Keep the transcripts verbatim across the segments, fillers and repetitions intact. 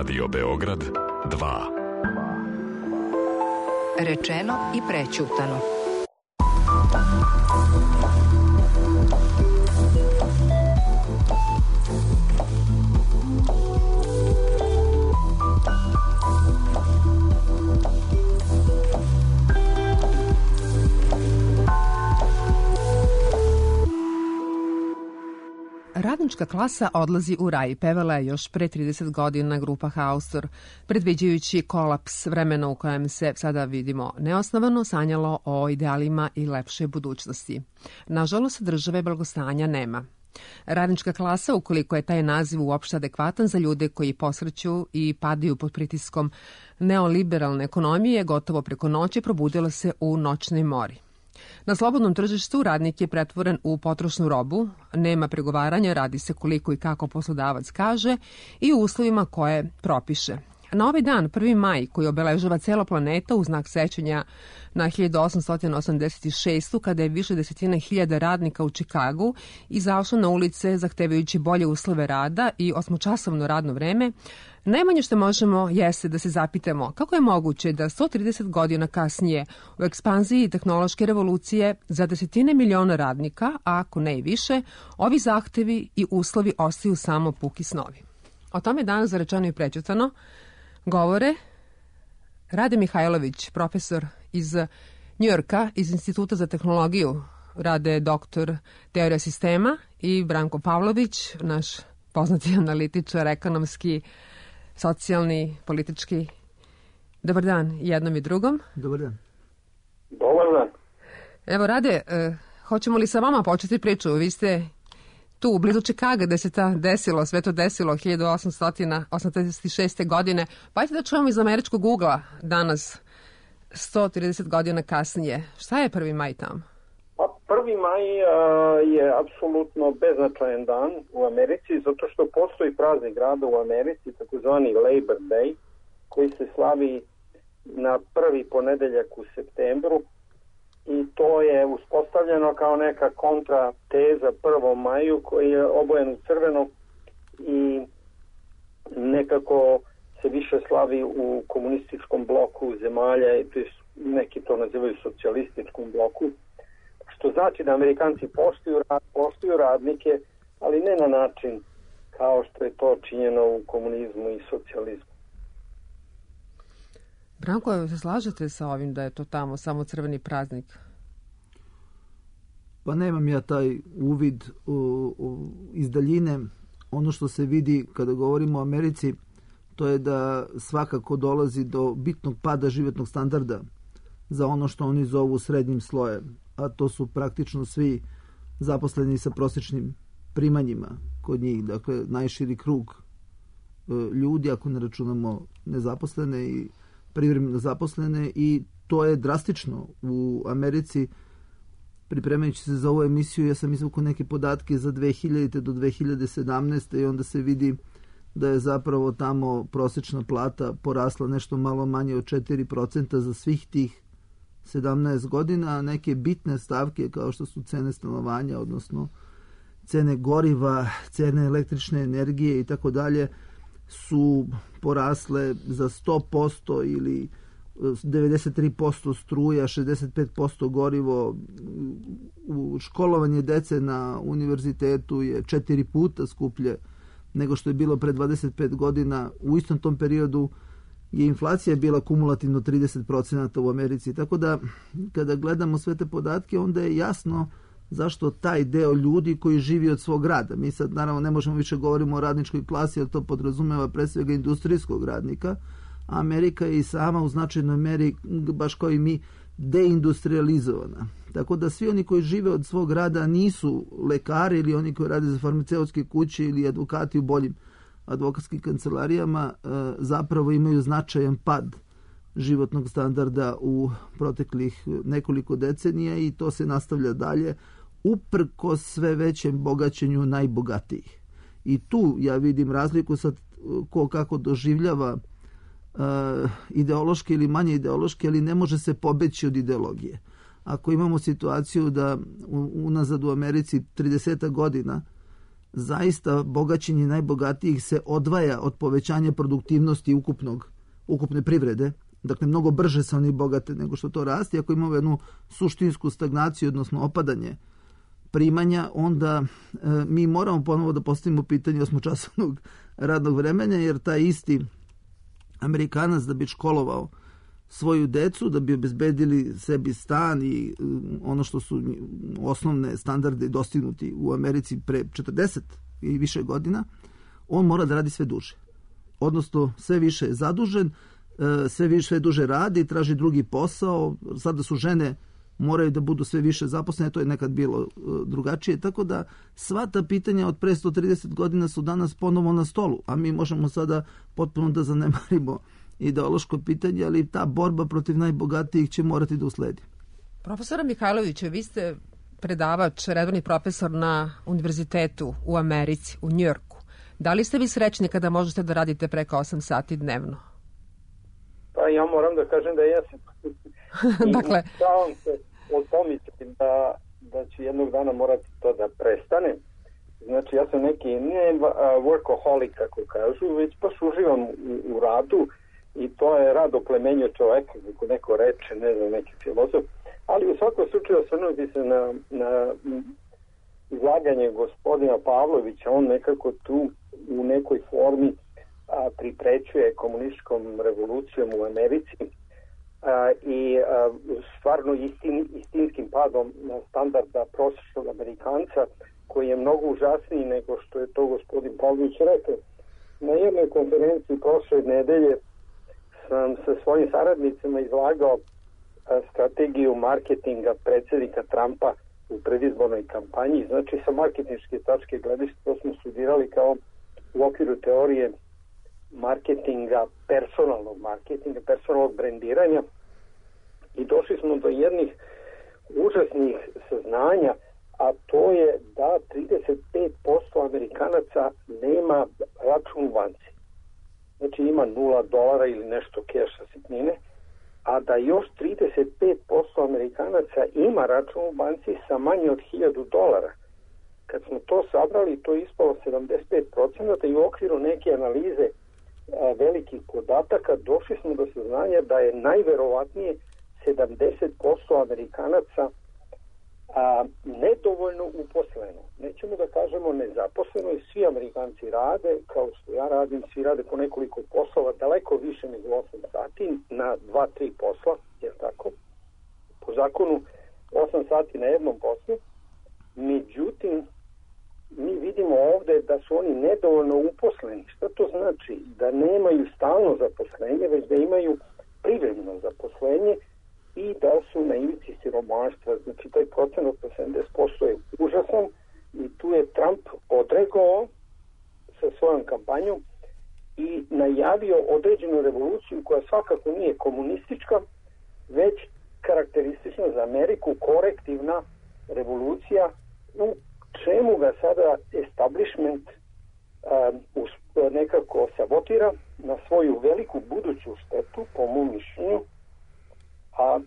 Radio Beograd dva. Rečeno i prećutano. Radnička klasa odlazi u raj, pevala je još pre trideset godina grupa Haustor, predviđajući kolaps vremena u kojem se sada vidimo neosnovano sanjalo o idealima i lepše budućnosti. Nažalost, države blagostanja nema. Radnička klasa, ukoliko je taj naziv uopšte adekvatan za ljude koji posreću i padaju pod pritiskom neoliberalne ekonomije, gotovo preko noći probudila se u noćnoj mori. Na slobodnom tržištu radnik je pretvoren u potrošnu robu, nema pregovaranja, radi se koliko i kako poslodavac kaže i u uslovima koje propiše. Na ovaj dan, prvi maj, koji obeležava cela planeta u znak sećanja na hiljadu osamsto osamdeset šestu. kada je više desetina hiljada radnika u Čikagu izašlo na ulice zahtevajući bolje uslove rada i osmočasovno radno vreme, najmanje što možemo jeste da se zapitamo kako je moguće da sto trideset godina kasnije u ekspanziji tehnološke revolucije za desetine miliona radnika, a ako ne i više, ovi zahtevi i uslovi ostaju samo puki snovi. O tome danas za Rečeno i prećutano govore Rade Mihajlović, profesor iz Njujorka, iz Instituta za tehnologiju, Rade doktor teorija sistema, i Branko Pavlović, naš poznati analitičar, ekonomski, socijalni, politički. Dobar dan jednom i drugom. Dobar dan. Dobar dan. Evo, Rade, eh, hoćemo li sa vama početi priču? Vi ste tu u blizu Čikaga gde se ta desilo, sve to desilo hiljadu osamsto osamdeset šeste. godine. Pa ajte da čujemo iz američkog ugla danas, sto trideset godina kasnije. Šta je prvi maj tamo? Pa prvi maj a, je apsolutno beznačajan dan u Americi, zato što postoji praznik grada u Americi, takozvani Labor Day, koji se slavi na prvi ponedeljak u septembru. I to je uspostavljeno kao neka kontrateza prvom maju koji je obojen u crveno i nekako se više slavi u komunističkom bloku zemalja, i neki to nazivaju socijalističkom bloku, što znači da Amerikanci poštuju, poštuju radnike, ali ne na način kao što je to činjeno u komunizmu i socijalizmu. Branko, se slažete sa ovim da je to tamo samo crveni praznik? Pa nemam ja taj uvid u, u, iz daljine. Ono što se vidi kada govorimo o Americi, to je da svakako dolazi do bitnog pada životnog standarda za ono što oni zovu srednjim slojem, a to su praktično svi zaposleni sa prosječnim primanjima kod njih, dakle najširi krug e, ljudi, ako ne računamo nezaposlene i privremeno zaposlene, i to je drastično u Americi. Pripremajući se za ovu emisiju, ja sam izvukao neke podatke za dve hiljadite do dve hiljade sedamnaeste. i onda se vidi da je zapravo tamo prosječna plata porasla nešto malo manje od četiri procenta za svih tih sedamnaest godina, a neke bitne stavke kao što su cene stanovanja, odnosno cene goriva, cene električne energije i tako dalje, su porasle za sto posto ili devedeset tri posto struja, šezdeset pet posto gorivo. U školovanje dece na univerzitetu je četiri puta skuplje nego što je bilo pre dvadeset pet godina. U istom tom periodu je inflacija bila kumulativno trideset procenata u Americi. Tako da kada gledamo sve te podatke, onda je jasno zašto taj deo ljudi koji živi od svog rada. Mi sad naravno ne možemo više govorimo o radničkoj klasi, jer to podrazumeva pre svega industrijskog radnika. Amerika je i sama u značajnoj meri, baš kao i mi, deindustrializovana. Tako da svi oni koji žive od svog rada nisu lekari ili oni koji rade za farmaceutske kuće ili advokati u boljim advokatskim kancelarijama, zapravo imaju značajan pad životnog standarda u proteklih nekoliko decenija, i to se nastavlja dalje uprkos sve većem bogaćenju najbogatijih. I tu ja vidim razliku sad ko kako doživljava Uh, ideološke ili manje ideološke, ali ne može se pobeći od ideologije. Ako imamo situaciju da u, unazad u Americi trideset godina zaista bogaćenje najbogatijih se odvaja od povećanja produktivnosti ukupnog, ukupne privrede. Dakle, mnogo brže se oni bogate nego što to raste. Ako imamo jednu suštinsku stagnaciju, odnosno opadanje primanja, onda e, mi moramo ponovo da postavimo pitanje osmočasovnog radnog vremena, jer taj isti Amerikanac da bi školovao svoju decu, da bi obezbedili sebi stan i ono što su osnovne standarde dostignuti u Americi pre četrdeset i više godina, on mora da radi sve duže. Odnosno, sve više je zadužen, sve više sve duže radi, traži drugi posao. Sada su žene moraju da budu sve više zaposlene, to je nekad bilo drugačije, tako da sva ta pitanja od pre sto trideset godina su danas ponovo na stolu, a mi možemo sada potpuno da zanemarimo ideološko pitanje, ali ta borba protiv najbogatijih će morati da usledi. Profesora Mihajlovića, vi ste predavač, redovni profesor na univerzitetu u Americi, u Njujorku. Da li ste vi srećni kada možete da radite preko osam sati dnevno? Pa ja moram da kažem da jesam. Dakle, I sam se pomisliti da, da će jednog dana morati to da prestane. Znači, ja sam neki ne workaholic, kako kažu, već baš uživam u, u radu i to je rad oplemenjuje čoveka, kako neko reče, ne znam, neki filozof. Ali u svakom slučaju osvrnuti se na, na izlaganje gospodina Pavlovića, on nekako tu u nekoj formi a, priprećuje komunističkom revolucijom u Americi a, i a, stvarno istin, istinskim padom standarda prosječnog Amerikanca, koji je mnogo užasniji nego što je to gospodin Pavlović rekao. Na jednoj konferenciji prošle nedelje sam sa svojim saradnicima izlagao a, strategiju marketinga predsjednika Trumpa u predizbornoj kampanji. Znači, sa marketinške tačke gledišta to smo studirali kao u okviru teorije marketinga, personalnog marketinga, personalnog brendiranja i došli smo do jednih užasnih saznanja, a to je da trideset pet posto Amerikanaca nema račun u banci. Znači ima nula dolara ili nešto keša sitnine, a da još trideset pet posto Amerikanaca ima račun u banci sa manje od hiljadu dolara. Kad smo to sabrali, to je ispalo sedamdeset pet procenata i u okviru neke analize a, velikih podataka došli smo do saznanja da je najverovatnije sedamdeset posto Amerikanaca a, nedovoljno uposleno. Nećemo da kažemo nezaposleno i svi Amerikanci rade, kao što ja radim, svi rade po nekoliko poslova, daleko više nego osam sati na dva tri posla, jer tako, po zakonu osam sati na jednom poslu. Međutim, mi vidimo ovde da su oni nedovoljno uposleni. Šta to znači? Da nemaju stalno zaposlenje, već da imaju privremeno zaposlenje i da su na ivici siromaštva. Znači, taj procenat od sedamdeset posto je užasan i tu je Trump odregao sa svojom kampanjom i najavio određenu revoluciju koja svakako nije komunistička, već karakteristična za Ameriku, korektivna revolucija u čemu ga sada establishment um, nekako sabotira na svoju veliku buduću štetu, po mom mišljenju, a,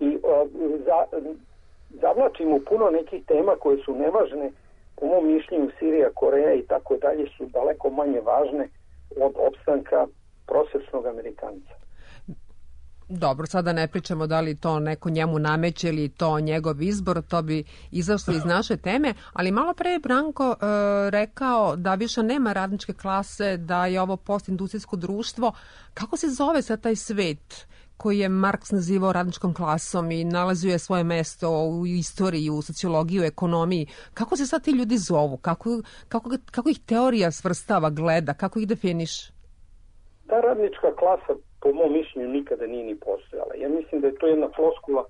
i a, za, zavlačimo puno nekih tema koje su nevažne, po mom mišljenju Sirija, Koreja i tako dalje su daleko manje važne od opstanka prosječnog Amerikanca. Dobro, sada ne pričamo da li to neko njemu nameće ili to njegov izbor, to bi izašlo iz naše teme, ali malo pre je Branko e, rekao da više nema radničke klase, da je ovo postindustrijsko društvo. Kako se zove sad taj svet koji je Marks nazivao radničkom klasom i nalazio je svoje mesto u istoriji, u sociologiji, u ekonomiji? Kako se sad ti ljudi zovu? Kako, kako, kako ih teorija svrstava, gleda? Kako ih definiš? Ta radnička klasa po mom mišljenju nikada nije ni postojala. Ja mislim da je to jedna floskula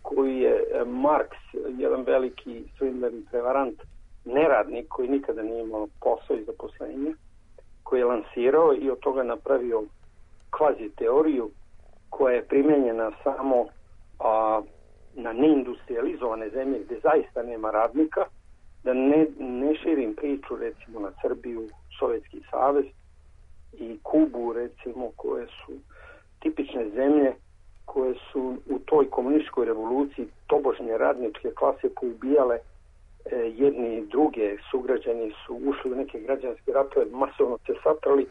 koju je Marks, jedan veliki svindler i prevarant, neradnik koji nikada nije imao posao i zaposlenje, koji je lansirao i od toga napravio kvazi teoriju koja je primjenjena samo a, na neindustrializovane zemlje gde zaista nema radnika, da ne, ne širim priču recimo na Srbiju, Sovjetski savez i Kubu recimo, koje su tipične zemlje koje su u toj komunističkoj revoluciji tobožnje radničke klase poubijale jedni i druge sugrađani su ušli u neke građanske ratove, masovno se satrali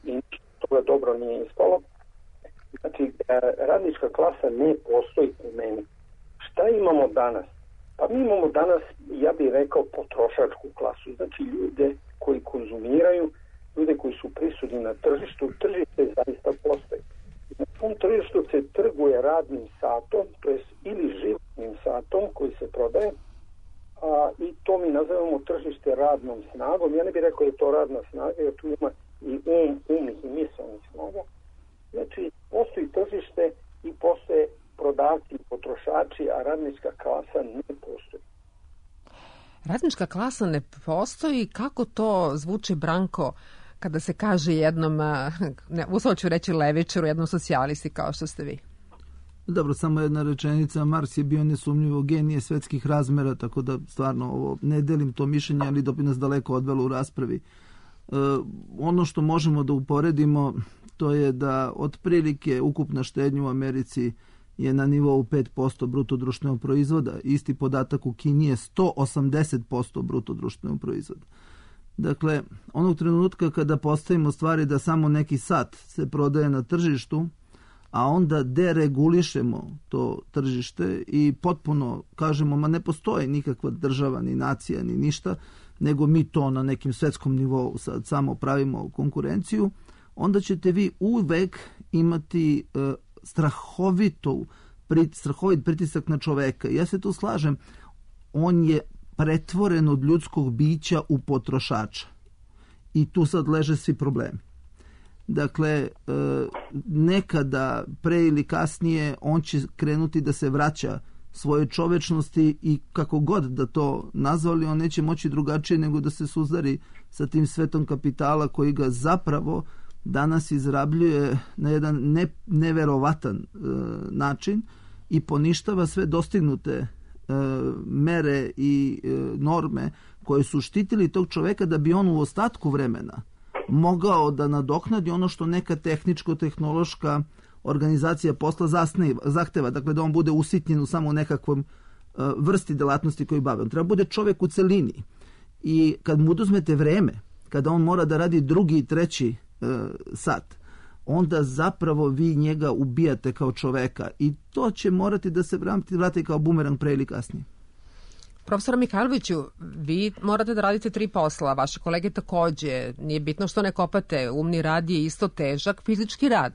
i toga dobro nije ispalo. Znači, radnička klasa ne postoji u meni. Šta imamo danas? Pa mi imamo danas, ja bih rekao, potrošačku klasu. Znači, ljude koji konzumiraju, ljude koji su prisutni na tržištu, tržište zaista postoji. Na tom tržištu se trguje radnim satom, to jest ili životnim satom koji se prodaje, a, i to mi nazivamo tržište radnom snagom. Ja ne bih rekao da je to radna snaga, jer tu ima i um, umnih i misalnih snaga. Znači, postoji tržište i postoje prodavci i potrošači, a radnička klasa ne postoji. Radnička klasa ne postoji. Kako to zvuči, Branko, kada se kaže jednom, ne, uslov ću reći levičaru, jednom socijalisti kao što ste vi? Dobro, samo jedna rečenica. Marks je bio nesumnjivo genije svetskih razmera, tako da stvarno ovo, ne delim to mišljenje, ali da bi nas daleko odvelo u raspravi. E, ono što možemo da uporedimo, to je da otprilike ukupna štednja u Americi je na nivou pet posto bruto društvenog proizvoda. Isti podatak u Kini je sto osamdeset posto bruto društvenog proizvoda. Dakle, onog trenutka kada postavimo stvari da samo neki sat se prodaje na tržištu, a onda deregulišemo to tržište i potpuno kažemo, ma ne postoji nikakva država, ni nacija, ni ništa, nego mi to na nekim svetskom nivou sad samo pravimo konkurenciju, onda ćete vi uvek imati e, strahovitu, prit, strahovit pritisak na čoveka. Ja se tu slažem, on je pretvoren od ljudskog bića u potrošača. I tu sad leže svi problemi. Dakle, nekada, pre ili kasnije, on će krenuti da se vraća svoje čovečnosti i kako god da to nazvali, on neće moći drugačije nego da se suzdari sa tim svetom kapitala koji ga zapravo danas izrabljuje na jedan ne, neverovatan e, način i poništava sve dostignute e, mere i e, norme koje su štitili tog čoveka da bi on u ostatku vremena mogao da nadoknadi ono što neka tehničko-tehnološka organizacija posla zasneva, zahteva, dakle da on bude usitnjen u samo nekakvom uh, vrsti delatnosti koju bave. On treba bude čovjek u celini i kad mu oduzmete vreme, kada on mora da radi drugi i treći uh, sat, onda zapravo vi njega ubijate kao čoveka i to će morati da se vrati, vrati kao bumerang pre ili kasnije. Profesor Mihajloviću, vi morate da radite tri posla, vaše kolege takođe. Nije bitno što ne kopate, umni rad je isto težak, fizički rad.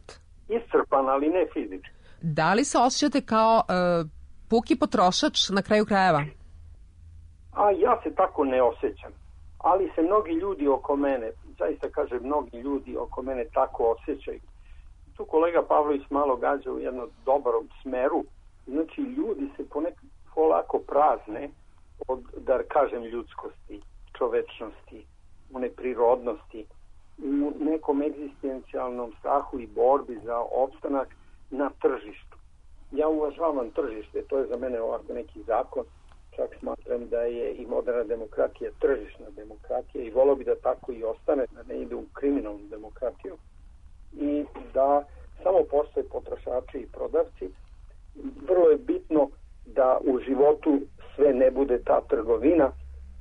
Iscrpan, ali ne fizički. Da li se osjećate kao uh, puki potrošač na kraju krajeva? A ja se tako ne osjećam, ali se mnogi ljudi oko mene, zaista kažem mnogi ljudi oko mene tako osjećaju. Tu kolega Pavlović malo gađa u jednom dobrom smeru, znači ljudi se ponekad polako prazne od, da kažem, ljudskosti, čovečnosti, one prirodnosti, u nekom egzistencijalnom strahu i borbi za opstanak na tržištu. Ja uvažavam tržište, to je za mene ovako neki zakon, čak smatram da je i moderna demokratija tržišna demokratija i volio bi da tako i ostane, da ne ide u kriminalnu demokratiju i da samo postoje potrošači i prodavci. Vrlo je bitno da u životu sve ne bude ta trgovina,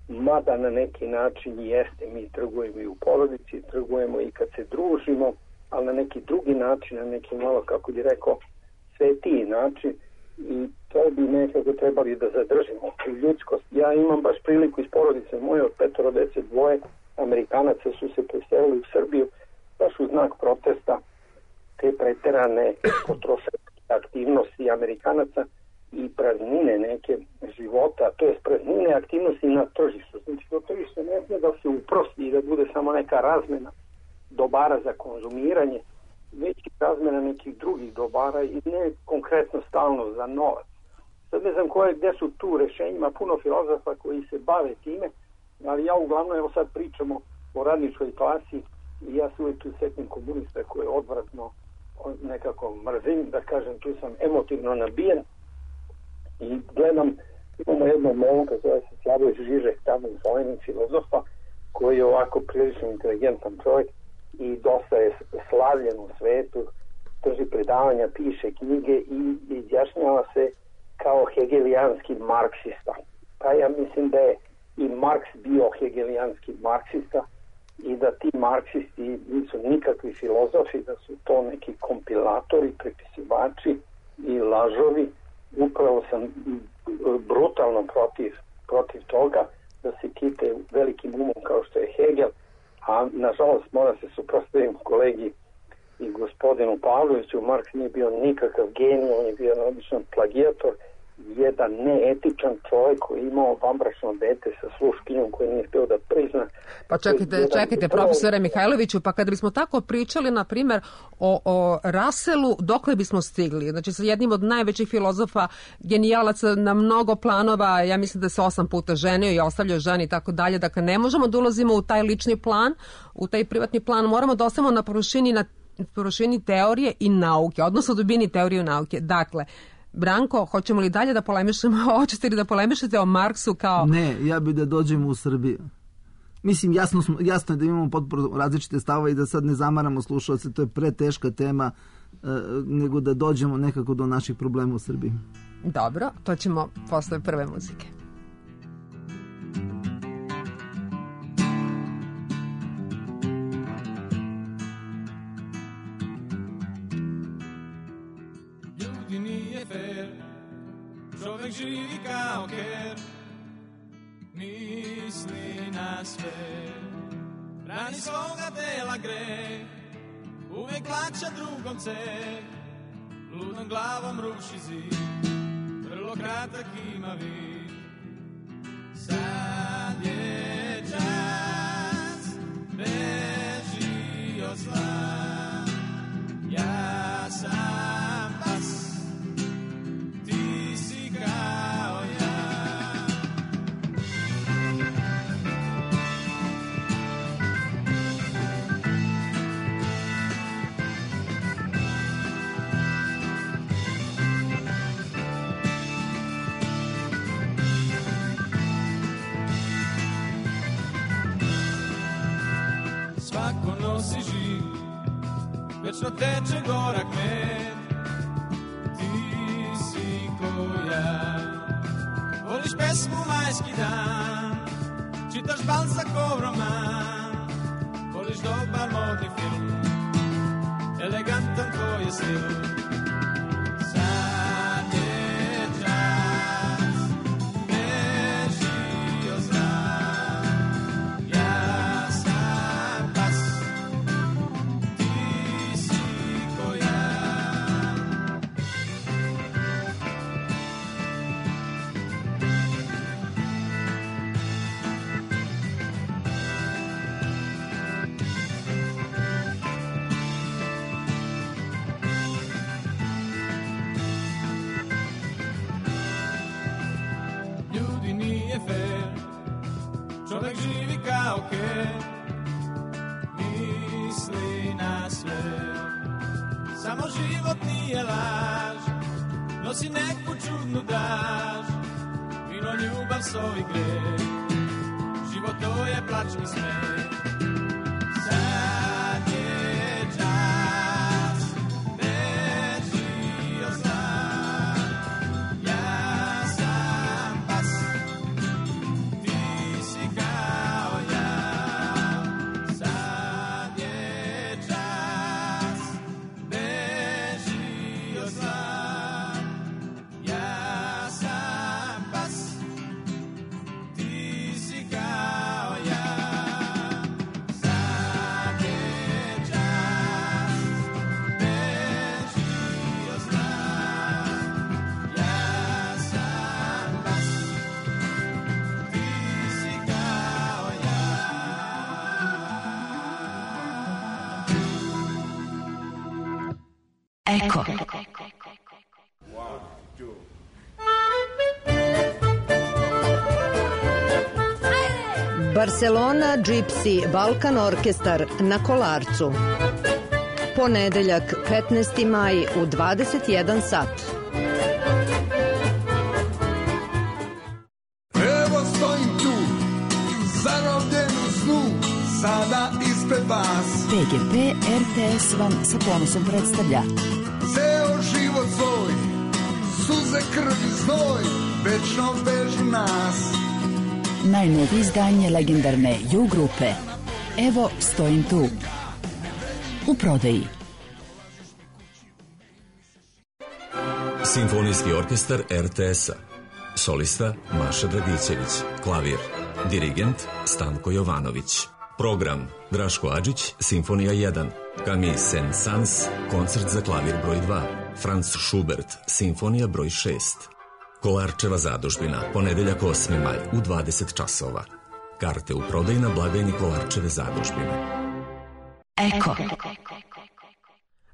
mada na neki način jeste, mi trgujemo i u porodici, trgujemo i kad se družimo, ali na neki drugi način, na neki malo, kako bi rekao, svetiji način i to bi nekako trebali da zadržimo ljudskost. Ja imam baš priliku iz porodice moje od petoro dece, dvoje Amerikanaca su se preselili u Srbiju baš u znak protesta te preterane potrošačke aktivnosti Amerikanaca i praznine neke života, to je praznine aktivnosti na tržištu. Znači, to tržište ne smije da se uprosti i da bude samo neka razmena dobara za konzumiranje, već i razmena nekih drugih dobara i ne konkretno stalno za novac. Sad ne znam koje, gde su tu rešenjima, puno filozofa koji se bave time, ali ja uglavnom, evo sad pričamo o radničkoj klasi i ja se uvijek tu setim komunista koje odvratno nekako mrzim, da kažem, tu sam emotivno nabijen i gledam, imamo jednog momka, zove se Slavoj Žižek, tamo u Sloveniji, filozofa, koji je ovako prilično inteligentan čovjek i dosta je slavljen u svetu, drži predavanja, piše knjige i izjašnjava se kao hegelijanski marksista. Pa ja mislim da je i Marks bio hegelijanski marksista i da ti marksisti nisu nikakvi filozofi, da su to neki kompilatori, prepisivači i lažovi. Upravo sam brutalno protiv, protiv toga da se kite velikim umom kao što je Hegel, a nažalost mora se suprotstaviti kolegi i gospodinu Pavloviću. Marks nije bio nikakav genij, on je bio jedan običan plagijator, jedan neetičan čovjek koji je imao vanbračno dete sa sluškinjom koji nije htio da prizna. Pa čekajte, čekajte profesore Mihajloviću, pa kada bismo tako pričali, na primjer, o, o Russellu, dokle bismo stigli? Znači, sa jednim od najvećih filozofa, genijalaca na mnogo planova, ja mislim da se osam puta ženio i ostavljao ženi i tako dalje, dakle, ne možemo da ulazimo u taj lični plan, u taj privatni plan, moramo da ostavimo na površini, na površini teorije i nauke, odnosno dubini teorije i nauke. Dakle, Branko, hoćemo li dalje da polemišemo, hoćete li da polemišete o Marksu kao... Ne, ja bih da dođemo u Srbiju. Mislim, jasno, smo, jasno je da imamo potpuno različite stavove i da sad ne zamaramo slušalce, to je preteška tema, e, nego da dođemo nekako do naših problema u Srbiji. Dobro, to ćemo posle prve muzike. Čovek živi kao ker, misli na sve, rani svoga tela greh, uvek plaća drugom ceh, ludom glavom ruši zid, vrlo kratak ima vid. Sad je čas, beži od zla, ja sam pas, kao ja. Svako nosi žig, večno teče gorak med, ja. Voliš pesmu Majski dan, čitaš Balzacov roman, voliš dobar modni film, elegantan tvoj je stil. Sad je čas, beži od zla, ja sam pas, ti si ko ja. Čovek živi kao ker, misli na sve, samo život nije laž, nosi neku čudnu daž, vino, ljubav, so i greh, život to je plač i smeh. Sad je čas, beži od zla, ja sam pas, ti si kao ja. Sad je čas, beži od zla, ja sam pas, ti si kao ja. Sad je čas, beži od zla, ja sam pas, ti si kao ja. Eko. Barcelona Gypsy Balkan Orkestar na Kolarcu. Ponedeljak petnaesti maj u dvadeset jedan sat. Evo stojim tu, zarobljen u snu, sada ispred vas. P G P R T S vam sa ponosom predstavlja Ceo život svoj, suze, krv i znoj, večno vežu nas. najnovije izdanje legendarne U grupe Evo stojim tu. U prodaji. Simfonijski orkestar er te es-a. Solista Maša Dragićević. Klavir. Dirigent Stanko Jovanović. Program Draško Adžić, Simfonija jedan. Camille Saint-Saëns, koncert za klavir broj dva. Franz Schubert, Simfonija broj šest. Kolarčeva zadužbina, ponedeljak osmi maj u dvadeset časova. Karte u prodaju na blagajni Kolarčeve zadužbine. Eko.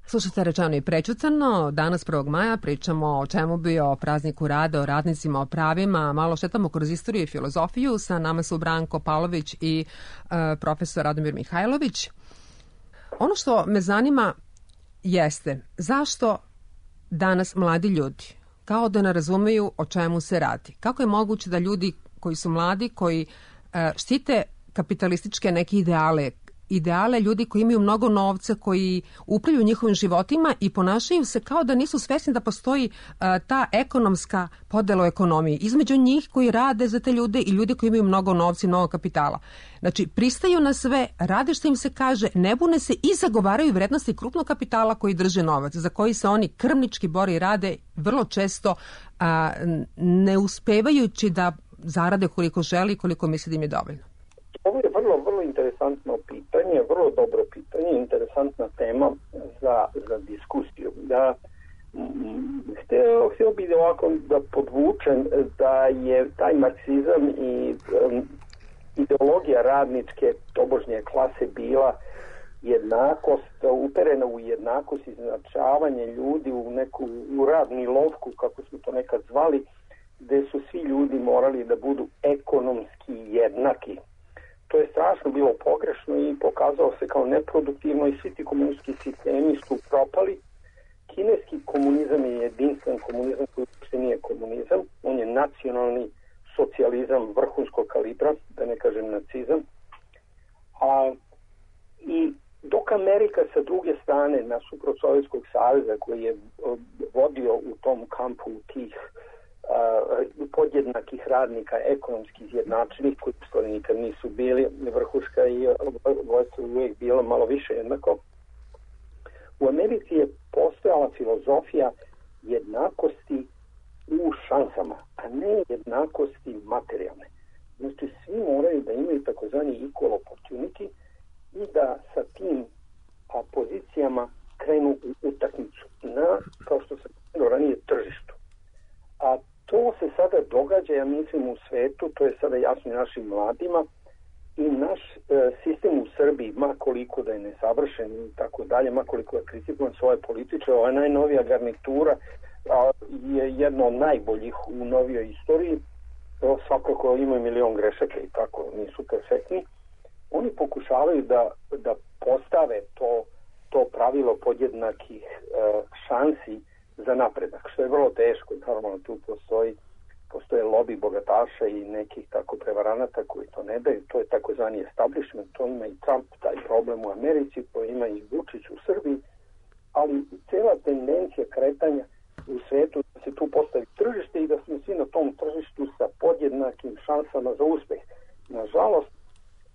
Slušajte Rečeno i prećutano. Danas prvog maja pričamo o čemu bi o prazniku rada, o radnicima, o pravima. Malo šetamo kroz istoriju i filozofiju. Sa nama su Branko Pavlović i e, profesor Radomir Mihajlović. Ono što me zanima jeste zašto danas mladi ljudi kao da ne razumeju o čemu se radi. Kako je moguće da ljudi koji su mladi, koji e, štite kapitalističke neke ideale, ideale ljudi koji imaju mnogo novca, koji upravljaju njihovim životima i ponašaju se kao da nisu svesni da postoji uh, ta ekonomska podela u ekonomiji između njih koji rade za te ljude i ljudi koji imaju mnogo novca i mnogo kapitala. Znači, pristaju na sve, rade što im se kaže, ne bune se i zagovaraju vrednosti krupnog kapitala koji drže novac, za koji se oni krvnički bore i rade vrlo često uh, ne uspevajući da zarade koliko želi i koliko misli da im je dovoljno. Ovo je vrlo, vrlo interesantno pitanje, vrlo dobro pitanje, interesantna tema za, za diskusiju. Da, htio, htio bih ovako da podvučem da je taj marksizam i um, ideologija radničke tobožnje klase bila jednakost, uperena u jednakost, izjednačavanje ljudi u neku u radni lovku, kako smo to nekad zvali, gde su svi ljudi morali da budu ekonomski jednaki. To je strašno bilo pogrešno i pokazalo se kao neproduktivno i svi ti komunistički sistemi su propali. Kineski komunizam je jedinstven komunizam koji uopšte nije komunizam. On je nacionalni socijalizam vrhunskog kalibra, da ne kažem nacizam. A, I dok Amerika sa druge strane, nasuprot Sovjetskog saveza koji je vodio u tom kampu tih Uh, podjednakih radnika, ekonomski izjednačenih, koji u nikad nisu bili, vrhuška i vojstvo uvijek bilo malo više jednako. U Americi je postojala filozofija jednakosti u šansama, a ne jednakosti materijalne. Znači, svi moraju da imaju takozvani equal opportunity i da sa tim a, pozicijama krenu u utakmicu na, kao što sam ranije, tržištu. A to se sada događa, ja mislim, u svetu, to je sada jasno i našim mladima i naš e, sistem u Srbiji, ma koliko da je nesavršen i tako dalje, ma koliko je kritikovan svoje političe, ova najnovija garnitura a, je jedna od najboljih u novijoj istoriji, to svakako imaju milion grešaka i tako, nisu perfektni. Oni pokušavaju da, da postave to, to pravilo podjednakih e, šansi za napredak, što je vrlo teško. Normalno tu postoji, postoje lobby bogataša i nekih tako prevaranata koji to ne daju. To je takozvani establishment, to ima i Trump, taj problem u Americi, to ima i Vučić u Srbiji, ali cela tendencija kretanja u svetu da se tu postavi tržište i da smo svi na tom tržištu sa podjednakim šansama za uspeh. Nažalost,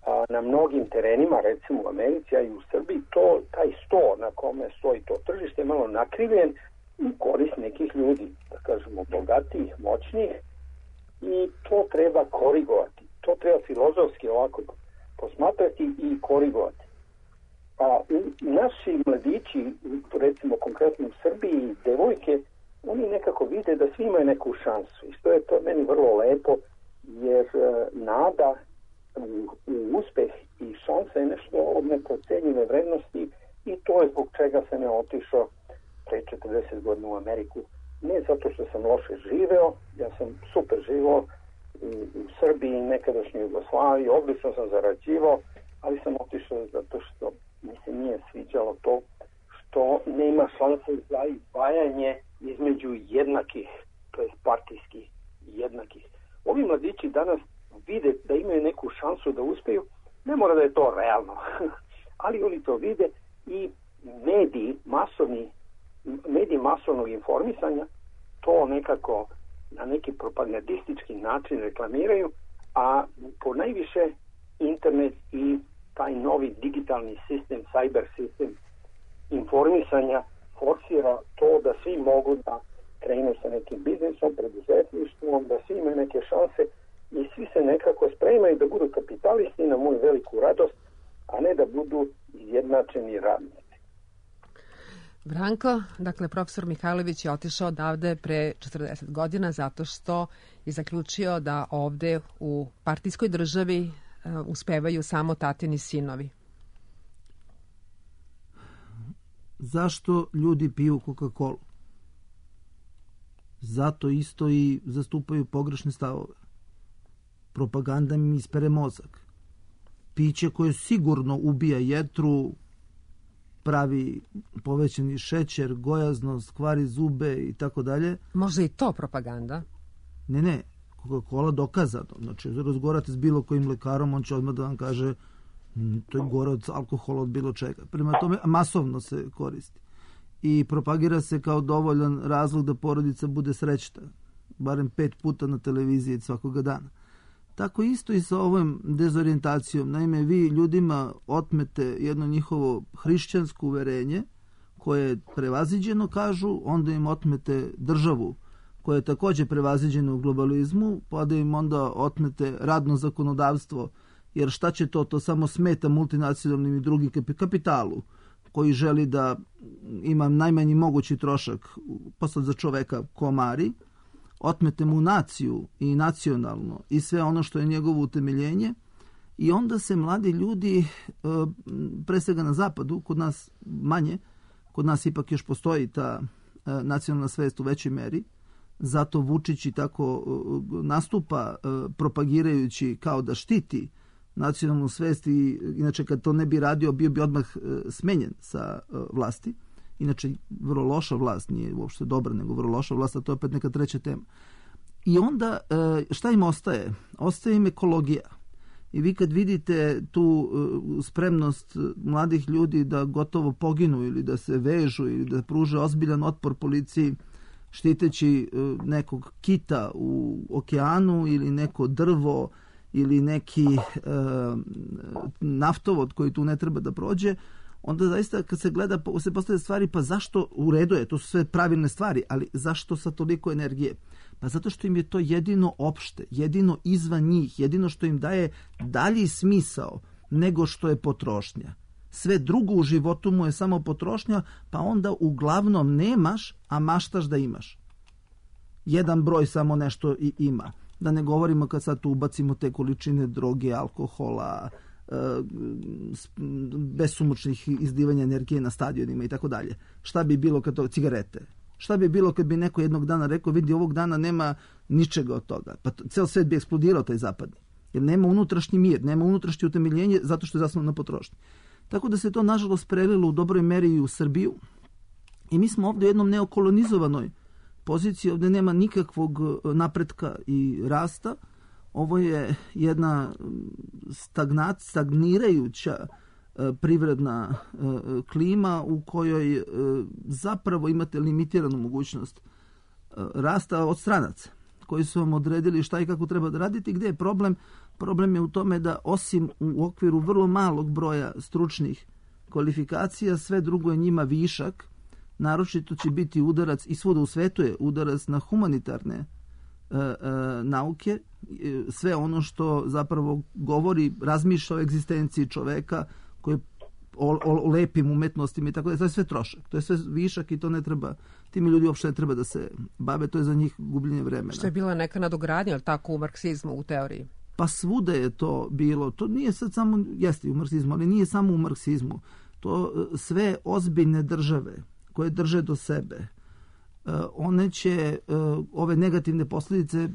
a, na mnogim terenima, recimo u Americi, a i u Srbiji, to, taj sto na kome stoji to tržište je malo nakrivljen u korist nekih ljudi, da kažemo bogatijih, moćnijih, i to treba korigovati. To treba filozofski ovako posmatrati i korigovati. A naši mladići, recimo konkretno u Srbiji, devojke, oni nekako vide da svi imaju neku šansu. I što je to meni vrlo lepo, jer nada u, u uspeh i šansa je nešto od neprocenjive vrednosti i to je zbog čega sam ja otišao pre četrdeset godina u Ameriku. Ne zato što sam loše živeo, ja sam super živeo u, u Srbiji, nekadašnjoj Jugoslaviji, odlično sam zarađivao, ali sam otišao zato što mi se nije sviđalo to što nema šanse za izdvajanje između jednakih, to je partijskih jednakih. Ovi mladići danas vide da imaju neku šansu da uspeju, ne mora da je to realno, ali oni to vide i mediji, masovni mediji masovnog informisanja to nekako na neki propagandistički način reklamiraju, a po najviše internet i taj novi digitalni sistem, cyber sistem informisanja forsira to da svi mogu da krenu sa nekim biznisom, preduzetništvom, da svi imaju neke šanse i svi se nekako spremaju da budu kapitalisti na moju veliku radost, a ne da budu izjednačeni radnici. Branko, dakle, profesor Mihajlović je otišao odavde pre četrdeset godina zato što je zaključio da ovde u partijskoj državi uh, uspevaju samo tatini sinovi. Zašto ljudi piju Coca-Cola? Zato isto i zastupaju pogrešne stavove. Propaganda im ispere mozak. Piće koje sigurno ubija jetru, pravi povećani šećer, gojaznost, kvari zube i tako dalje. Možda i to propaganda? Ne, ne. Coca-Cola dokazano. Znači, razgovarate s bilo kojim lekarom, on će odmah da vam kaže to je gore od alkohola, od bilo čega. Prema tome, masovno se koristi. I propagira se kao dovoljan razlog da porodica bude srećna. Barem pet puta na televiziji svakoga dana. Tako isto i sa ovom dezorijentacijom. Naime, vi ljudima otmete jedno njihovo hrišćansko uverenje koje je prevaziđeno, kažu, onda im otmete državu koja je takođe prevaziđena u globalizmu, pa da im onda otmete radno zakonodavstvo, jer šta će to? To samo smeta multinacionalnim i drugim kapitalu koji želi da ima najmanji mogući trošak posle za čoveka komari, otmete mu naciju i nacionalno i sve ono što je njegovo utemeljenje i onda se mladi ljudi, pre svega na zapadu, kod nas manje, kod nas ipak još postoji ta nacionalna svest u većoj meri, zato Vučić i tako nastupa propagirajući kao da štiti nacionalnu svest i inače kad to ne bi radio bio bi odmah smenjen sa vlasti. Inače, vrlo loša vlast, nije uopšte dobra, nego vrlo loša vlast, a to je opet neka treća tema. I onda, šta im ostaje? Ostaje im ekologija. I vi kad vidite tu spremnost mladih ljudi da gotovo poginu ili da se vežu ili da pruže ozbiljan otpor policiji štiteći nekog kita u okeanu ili neko drvo ili neki e, naftovod koji tu ne treba da prođe, onda zaista kad se gleda, se postavlja stvari, pa zašto u redu je, to su sve pravilne stvari, ali zašto sa toliko energije? Pa zato što im je to jedino opšte, jedino izvan njih, jedino što im daje dalji smisao nego što je potrošnja. Sve drugo u životu mu je samo potrošnja, pa onda uglavnom nemaš, a maštaš da imaš. Jedan broj samo nešto i ima. Da ne govorimo kad sad tu ubacimo te količine droge, alkohola, besumučnih izdivanja energije na stadionima i tako dalje. Šta bi bilo kad to, cigarete? Šta bi bilo kad bi neko jednog dana rekao, vidi, ovog dana nema ničega od toga. Pa ceo svet bi eksplodirao taj zapadni. Jer nema unutrašnji mir, nema unutrašnje utemeljenje zato što je zasnovano na potrošnji. Tako da se to nažalost prelilo u dobroj meri i u Srbiju. I mi smo ovdje u jednom neokolonizovanoj poziciji, ovdje nema nikakvog napretka i rasta. Ovo je jedna stagnat, stagnirajuća privredna klima u kojoj zapravo imate limitiranu mogućnost rasta od stranaca koji su vam odredili šta i kako treba da raditi. Gde je problem? Problem je u tome da osim u okviru vrlo malog broja stručnih kvalifikacija, sve drugo je njima višak. Naročito će biti udarac, i svuda u svetu je udarac na humanitarne e, e, nauke, sve ono što zapravo govori, razmišlja o egzistenciji čoveka, koji o, o lepim umetnostima i tako da, to je sve trošak, to je sve višak i to ne treba, tim ljudi uopšte ne treba da se bave, to je za njih gubljenje vremena. Što je bila neka nadogradnja, ali tako u marksizmu, u teoriji? Pa svuda je to bilo, to nije sad samo, jeste u marksizmu, ali nije samo u marksizmu, to sve ozbiljne države koje drže do sebe, one će ove negativne posljedice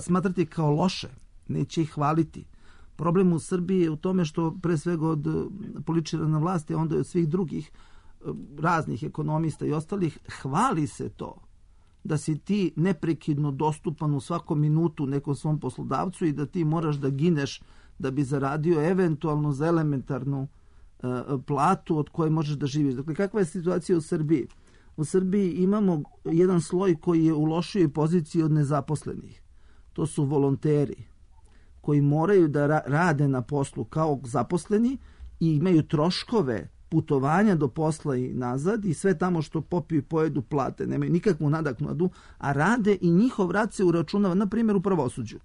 smatrati kao loše, neće ih hvaliti. Problem u Srbiji je u tome što pre svega od političara na vlasti, a onda i od svih drugih raznih ekonomista i ostalih, hvali se to da si ti neprekidno dostupan u svakom minutu nekom svom poslodavcu i da ti moraš da gineš da bi zaradio eventualno za elementarnu platu od koje možeš da živiš. Dakle, kakva je situacija u Srbiji? U Srbiji imamo jedan sloj koji je u lošijoj poziciji od nezaposlenih. To su volonteri. koji moraju da ra- rade na poslu kao zaposleni i imaju troškove putovanja do posla i nazad i sve tamo što popiju i pojedu plate, nemaju nikakvu nadoknadu, a rade i njihov rad se uračunava, na primjer u pravosuđu.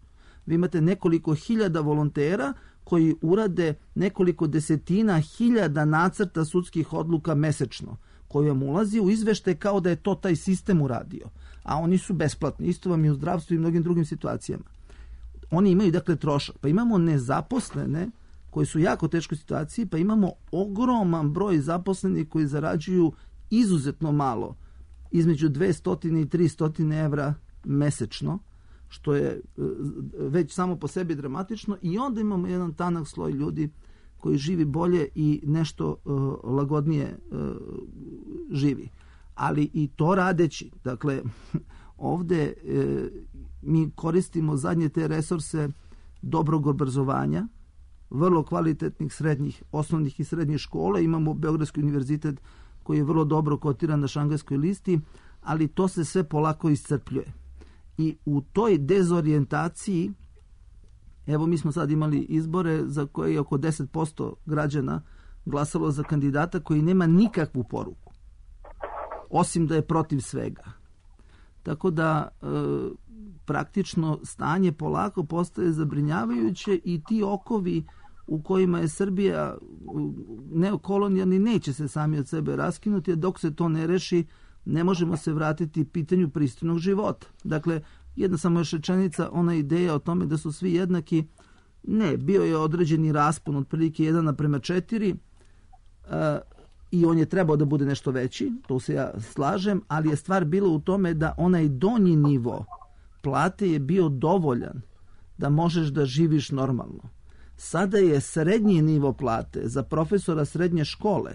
Vi imate nekoliko hiljada volontera koji urade nekoliko desetina hiljada nacrta sudskih odluka mesečno, koji vam ulazi u izveštaj kao da je to taj sistem uradio, a oni su besplatni. Isto vam je u zdravstvu i mnogim drugim situacijama. Oni imaju dakle trošak. Pa imamo nezaposlene koji su u jako teškoj situaciji, pa imamo ogroman broj zaposlenih koji zarađuju izuzetno malo, između dvesta i trista evra mesečno, što je već samo po sebi dramatično, i onda imamo jedan tanak sloj ljudi koji živi bolje i nešto uh, lagodnije uh, živi. Ali i to radeći, dakle, ovde uh, mi koristimo zadnje te resurse dobrog obrazovanja, vrlo kvalitetnih srednjih, osnovnih i srednjih škola. Imamo Beogradski univerzitet koji je vrlo dobro kotiran na Šangajskoj listi, ali to se sve polako iscrpljuje. I u toj dezorijentaciji, evo mi smo sad imali izbore za koje je oko deset posto građana glasalo za kandidata koji nema nikakvu poruku, osim da je protiv svega. Tako da e, praktično stanje polako postaje zabrinjavajuće i ti okovi u kojima je Srbija neokolonijalni neće se sami od sebe raskinuti, a dok se to ne reši ne možemo se vratiti pitanju pristojnog života. Dakle, jedna samo još rečenica, ona ideja o tome da su svi jednaki, ne, bio je određeni raspon otprilike jedan naprema četiri uh, i on je trebao da bude nešto veći, to se ja slažem, ali je stvar bila u tome da onaj donji nivo plate je bio dovoljan da možeš da živiš normalno. Sada je srednji nivo plate za profesora srednje škole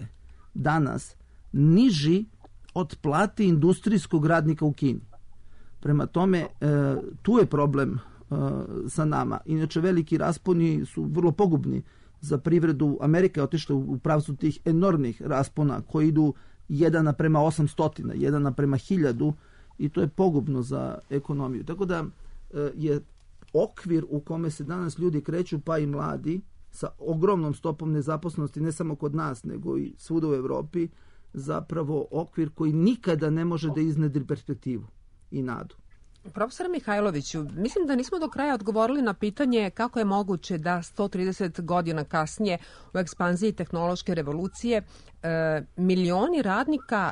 danas niži od plate industrijskog radnika u Kini. Prema tome, e, tu je problem e, sa nama. Inače, veliki rasponi su vrlo pogubni za privredu. Amerika je otišla u pravcu tih enormnih raspona koji idu jedan naprema osamstotina, jedan naprema hiljadu, i to je pogubno za ekonomiju. Tako da e, je okvir u kome se danas ljudi kreću, pa i mladi, sa ogromnom stopom nezaposlenosti, ne samo kod nas, nego i svuda u Evropi, zapravo okvir koji nikada ne može da iznedri perspektivu i nadu. Profesor Mihajloviću, mislim da nismo do kraja odgovorili na pitanje kako je moguće da sto trideset godina kasnije u ekspanziji tehnološke revolucije e, milioni radnika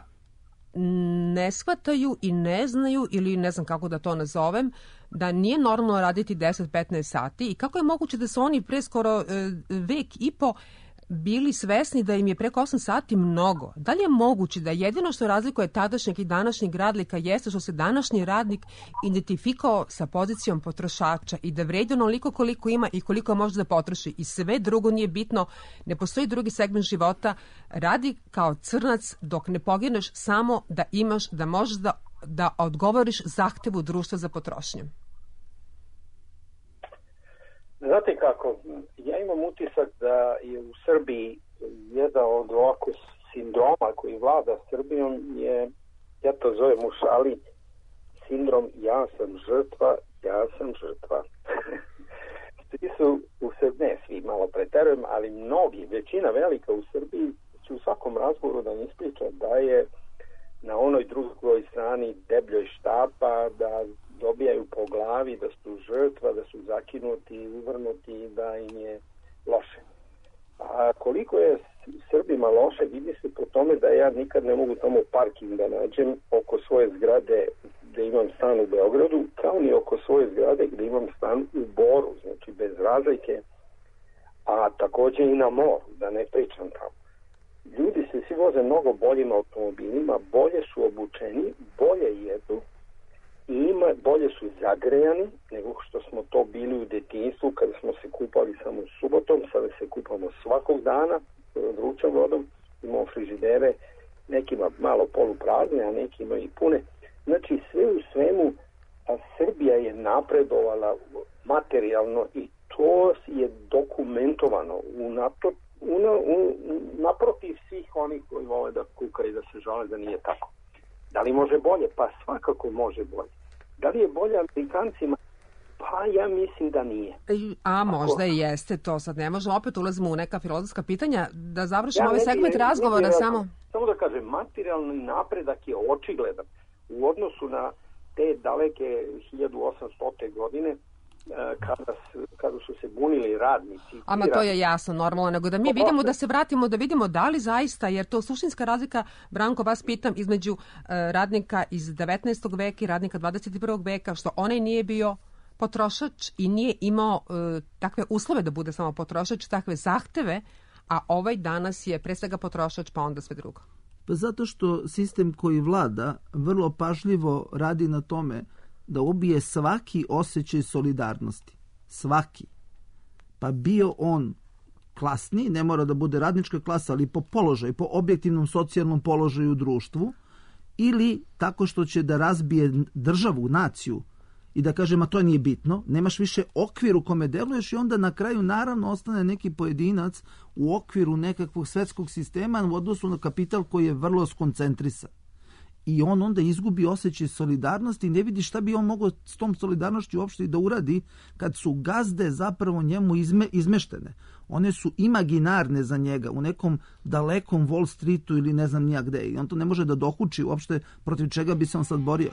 ne shvataju i ne znaju, ili ne znam kako da to nazovem, da nije normalno raditi deset do petnaest sati, i kako je moguće da su oni pre skoro e, vek i po bili svesni da im je preko osam sati mnogo. Da li je moguće da jedino što razlikuje tadašnjeg i današnjeg radnika jeste što se današnji radnik identifikao sa pozicijom potrošača i da vredi onoliko koliko ima i koliko može da potroši, i sve drugo nije bitno, ne postoji drugi segment života, radi kao crnac dok ne pogineš samo da imaš, da možeš da, da odgovoriš zahtevu društva za potrošnju? Znate kako, ja imam utisak da je u Srbiji jedan od ovako sindroma koji vlada Srbijom je, ja to zovem u šali, sindrom ja sam žrtva, ja sam žrtva. Svi su u Srbiji, ne svi, malo preterujem, ali mnogi, većina velika u Srbiji će u svakom razgovoru da mi ispriča da je na onoj drugoj strani debljoj štapa, da dobijaju po glavi, da su žrtva, da su zakinuti, uvrnuti, da im je loše. A koliko je Srbima loše, vidi se po tome da ja nikad ne mogu tamo parking da nađem oko svoje zgrade gde imam stan u Beogradu, kao ni oko svoje zgrade gde imam stan u Boru, znači bez razlike, a takođe i na moru, da ne pričam tamo. Ljudi se svi voze mnogo boljim automobilima, bolje su obučeni, bolje jedu, i ima, bolje su zagrejani nego što smo to bili u detinjstvu kada smo se kupali samo subotom, sada se kupamo svakog dana vrućom vodom, imamo frižidere, nekima malo poluprazne, a nekima i pune. Znači sve u svemu, a Srbija je napredovala materijalno i to je dokumentovano u NATO, u, u, naprotiv svih onih koji vole da kukaju i da se žale da nije tako. Da li može bolje? Pa svakako može bolje. Da li je bolje Amerikancima? Pa Pa ja mislim da nije. A možda i jeste, to sad ne možemo, opet ulazimo u neka filozofska pitanja, da završimo ja, ovaj segment razgovora ne, samo... Samo da kažem, materijalni napredak je očigledan u odnosu na te daleke hiljadu osamstote godine, kada, kada su se bunili radnici. Ama to je jasno, normalno, nego da mi vidimo, da se vratimo, da vidimo da li zaista, jer to suštinska razlika, Branko, vas pitam, između uh, radnika iz devetnaestog veka i radnika dvadeset prvog veka, što onaj nije bio potrošač i nije imao uh, takve uslove da bude samo potrošač, takve zahteve, a ovaj danas je pre svega potrošač, pa onda sve drugo. Pa zato što sistem koji vlada vrlo pažljivo radi na tome da ubije svaki osjećaj solidarnosti. Svaki. Pa bio on klasni, ne mora da bude radnička klasa, ali po položaju, po objektivnom socijalnom položaju u društvu, ili tako što će da razbije državu, naciju, i da kaže, ma to nije bitno, nemaš više okvir u kome deluješ i onda na kraju naravno ostane neki pojedinac u okviru nekakvog svetskog sistema u odnosu na kapital koji je vrlo skoncentrisan. I on onda izgubi osjećaj solidarnosti i ne vidi šta bi on mogao s tom solidarnošću uopšte da uradi kad su gazde zapravo njemu izme, izmeštene. One su imaginarne za njega u nekom dalekom Wall Streetu ili ne znam nija gde. I on to ne može da dokuči uopšte protiv čega bi se on sad borio.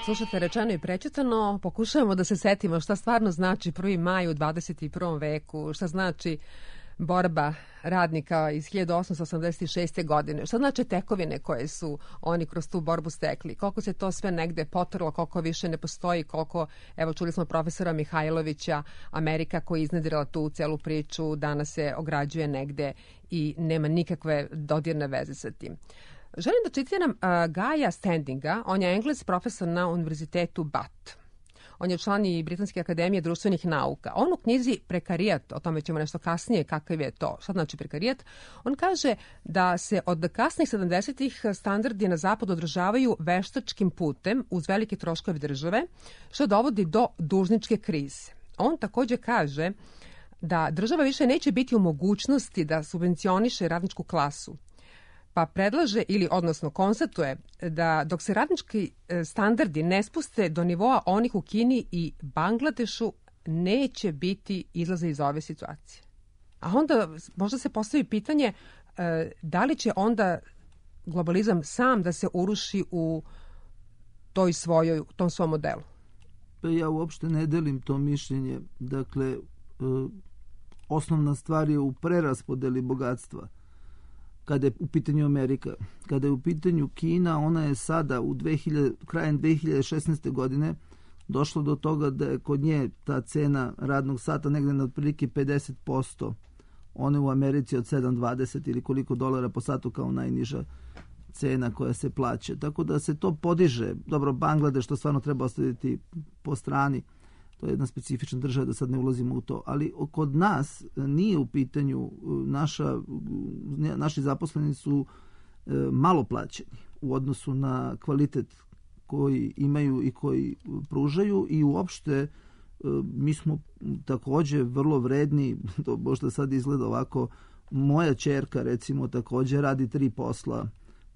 Slušate Rečeno i prečitano, pokušavamo da se setimo šta stvarno znači prvi maj u dvadeset prvom veku, šta znači borba radnika iz hiljadu osamsto osamdeset šeste. godine. Šta znači tekovine koje su oni kroz tu borbu stekli? Koliko se to sve negde potrlo, koliko više ne postoji, koliko, evo čuli smo profesora Mihajlovića, Amerika koja je iznedrila tu celu priču, danas se ograđuje negde i nema nikakve dodirne veze sa tim. Želim da citiram uh, Gaja Standinga, on je Engles profesor na univerzitetu Bath. On je član i Britanske akademije društvenih nauka. On u knjizi Prekarijat, o tome ćemo nešto kasnije, kakav je to, šta znači prekarijat, on kaže da se od kasnih sedamdesetih standardi na zapadu održavaju veštačkim putem uz velike troškove države, što dovodi do dužničke krize. On takođe kaže da država više neće biti u mogućnosti da subvencioniše radničku klasu, pa predlaže ili odnosno konstatuje da dok se radnički standardi ne spuste do nivoa onih u Kini i Bangladešu, neće biti izlaza iz ove situacije. A onda možda se postavi pitanje da li će onda globalizam sam da se uruši u toj svojoj, tom svom modelu? Pa ja uopšte ne delim to mišljenje. Dakle, osnovna stvar je u preraspodeli bogatstva. Kada je u pitanju Amerika. Kada je u pitanju Kina, ona je sada u dve hiljade, krajem dve hiljade šesnaeste. godine došlo do toga da je kod nje ta cena radnog sata negde na otprilike pedeset posto. One u Americi od sedam zarez dvadeset ili koliko dolara po satu kao najniža cena koja se plaća. Tako da se to podiže. Dobro, Bangladeš to stvarno treba ostaviti po strani. To je jedna specifična država, da sad ne ulazimo u to. Ali kod nas nije u pitanju, naša, naši zaposleni su malo plaćeni u odnosu na kvalitet koji imaju i koji pružaju i uopšte mi smo takođe vrlo vredni, to možda sad izgleda ovako, moja ćerka recimo takođe radi tri posla,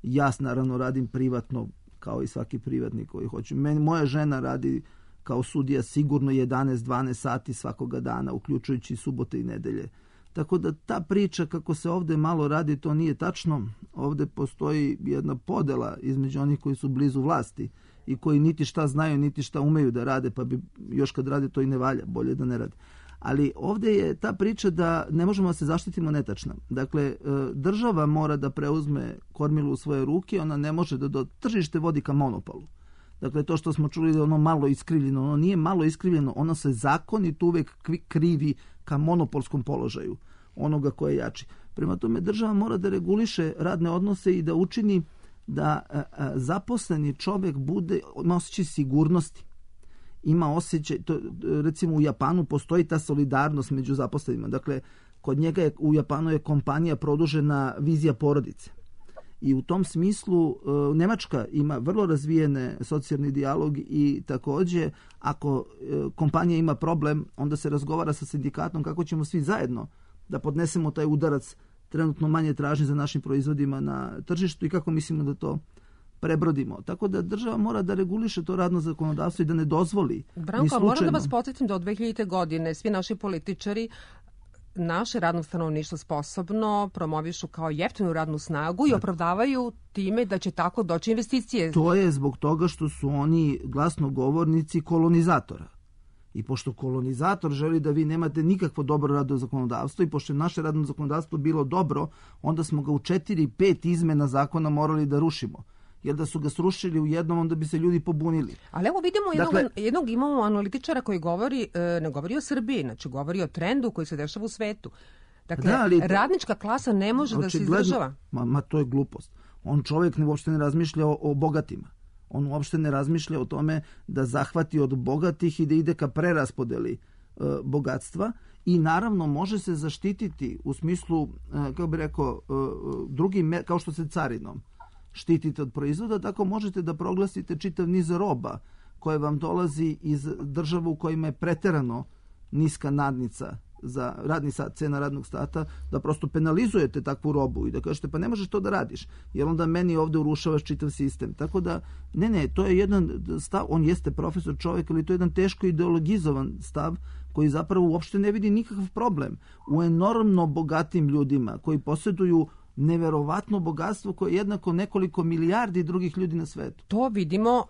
ja naravno radim privatno kao i svaki privatnik koji hoće. Meni, moja žena radi kao sudija sigurno jedanaest do dvanaest sati svakoga dana, uključujući subote i nedelje. Tako da ta priča kako se ovde malo radi, to nije tačno. Ovde postoji jedna podela između onih koji su blizu vlasti i koji niti šta znaju, niti šta umeju da rade, pa bi još kad rade to i ne valja, bolje da ne rade. Ali ovde je ta priča da ne možemo da se zaštitimo netačna. Dakle, država mora da preuzme kormilu u svoje ruke, ona ne može da do tržište vodi ka monopolu. Dakle, to što smo čuli da je ono malo iskrivljeno, ono nije malo iskrivljeno, ono se zakonito uvek krivi ka monopolskom položaju onoga ko je jači. Prema tome, država mora da reguliše radne odnose i da učini da a, a, zaposleni čovek bude, ima osjećaj sigurnosti. Ima osjećaj, to, recimo u Japanu postoji ta solidarnost među zaposlenima. Dakle, kod njega je, u Japanu je kompanija produžena vizija porodice. I u tom smislu Nemačka ima vrlo razvijene socijalni dijalog i takođe ako kompanija ima problem, onda se razgovara sa sindikatom kako ćemo svi zajedno da podnesemo taj udarac trenutno manje tražnje za našim proizvodima na tržištu i kako mislimo da to prebrodimo. Tako da država mora da reguliše to radno zakonodavstvo i da ne dozvoli. Branko, moram da vas podsjetim da od dve hiljade. godine svi naši političari naše radno stanovništvo sposobno promovišu kao jeftinu radnu snagu i opravdavaju time da će tako doći investicije. To je zbog toga što su oni glasnogovornici kolonizatora. I pošto kolonizator želi da vi nemate nikakvo dobro radno zakonodavstvo i pošto je naše radno zakonodavstvo bilo dobro, onda smo ga u četiri, pet izmena zakona morali da rušimo. Jer da su ga srušili u jednom, onda bi se ljudi pobunili. Ali evo vidimo jednog, dakle, jednog imamo analitičara koji govori, ne govori o Srbiji, znači govori o trendu koji se dešava u svetu. Dakle, da, ali, radnička klasa ne može da se izdržava. Ma, ma to je glupost. On čovjek ne, uopšte ne razmišlja o, o bogatima. On uopšte ne razmišlja o tome da zahvati od bogatih i da ide ka preraspodeli e, bogatstva i naravno može se zaštititi u smislu, e, kako bi rekao, e, drugim, kao što se carinom štitite od proizvoda, tako možete da proglasite čitav niz roba koje vam dolazi iz država u kojima je preterano niska nadnica za radni sat, cena radnog sata, da prosto penalizujete takvu robu i da kažete pa ne možeš to da radiš, jer onda meni ovde urušavaš čitav sistem. Tako da, ne, ne, to je jedan stav, on jeste profesor čovjek, ali to je jedan teško ideologizovan stav koji zapravo uopšte ne vidi nikakav problem u enormno bogatim ljudima koji posjeduju neverovatno bogatstvo koje je jednako nekoliko milijardi drugih ljudi na svetu. To vidimo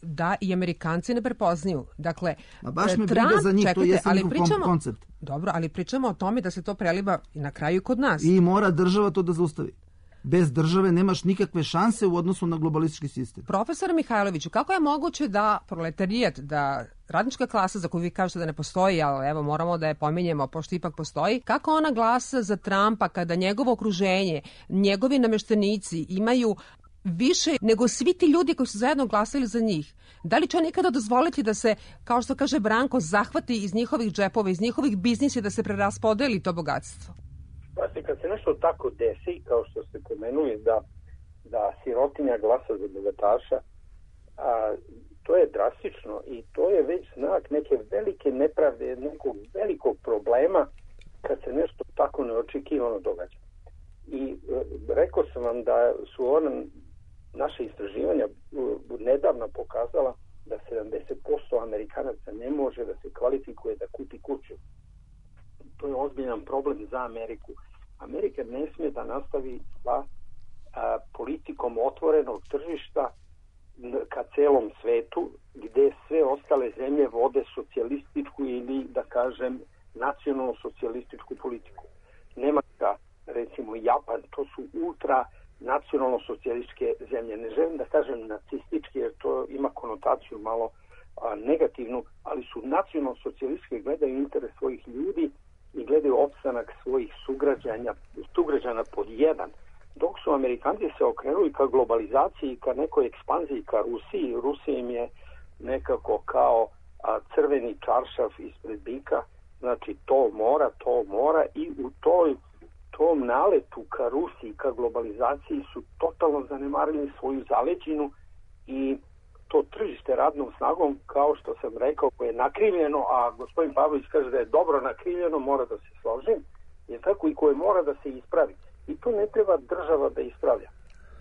da i Amerikanci ne prepoznaju. Dakle, a baš me Trump, briga za njih, čekajte, to je ali njihov pričamo, koncept. Dobro, ali pričamo o tome da se to preliva i na kraju kod nas. I mora država to da zaustavi. Bez države nemaš nikakve šanse u odnosu na globalistički sistem. Profesor Mihajloviću, kako je moguće da proletarijat, da radnička klasa za koju vi kažete da ne postoji, ali evo moramo da je pominjemo pošto ipak postoji, kako ona glasa za Trumpa kada njegovo okruženje, njegovi nameštenici imaju više nego svi ti ljudi koji su zajedno glasili za njih? Da li će on nikada dozvoliti da se, kao što kaže Branko, zahvati iz njihovih džepova, iz njihovih biznisa da se preraspodeli to bogatstvo? Pa kad se nešto tako desi, kao što ste pomenuli, da, da sirotinja glasa za bogataša, a, to je drastično i to je već znak neke velike nepravde, nekog velikog problema kad se nešto tako neočekivano događa. I e, rekao sam vam da su ona, naše istraživanja nedavno pokazala da sedamdeset posto Amerikanaca ne može da se kvalifikuje da kupi kuću. To je ozbiljan problem za Ameriku. Amerika ne smije da nastavi sa a, politikom otvorenog tržišta ka celom svetu, gde sve ostale zemlje vode socijalističku ili, da kažem, nacionalno-socijalističku politiku. Nemačka, recimo Japan, to su ultra nacionalno-socijalističke zemlje. Ne želim da kažem nacističke, jer to ima konotaciju malo a, negativnu, ali su nacionalno-socijalističke, gledaju interes svojih ljudi i gledaju opstanak svojih sugrađana, sugrađana pod jedan. Dok su Amerikanci se okrenuli ka globalizaciji, ka nekoj ekspanziji, ka Rusiji. Rusija im je nekako kao a, crveni čaršav ispred bika, znači to mora, to mora i u toj, tom naletu ka Rusiji, ka globalizaciji su totalno zanemarili svoju zaleđinu i to tržište radnom snagom, kao što sam rekao, koje je nakrivljeno, a gospodin Pavlović kaže da je dobro nakrivljeno, mora da se složim, je tako i koje mora da se ispravi. I to ne treba država da ispravlja.